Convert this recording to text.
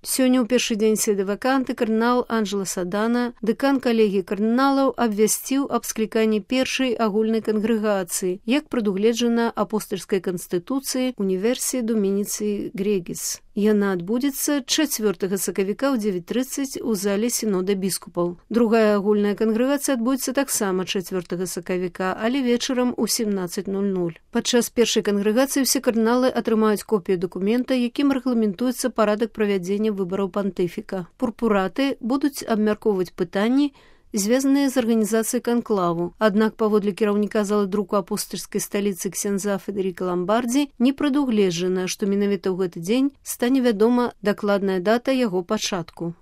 Сёння ў першы дзень седы-ваканты кардынал Анджело Садана, дэкан калегіі кардыналаў, абвясціў аб скліканні першай агульнай кангрэгацыі, як прадугледжана апостальскай канстытуцыі Універсіі Домініцыі Грегіс. Яна адбудзецца 4 сакавіка ў 9:30 у зале сінода біскупаў. Другая агульная кангрэгацыя адбудзецца таксама 4 сакавіка, але вечарам у 17:00. Падчас першай кангрэгацыі ўсе кардыналы атрымаюць копію дакумента, якім рэгламентуецца парадак правядзення выбараў пантыфіка. Пурпураты будуць абмяркоўваць пытанні, звязаныя з арганізацыяй канклаву. Аднак паводле кіраўніка залы друку апостальскай сталіцы ксяндза Федэріка Ламбардзі не прадугледжана, што менавіта ў гэты дзень стане вядома дакладная дата яго пачатку.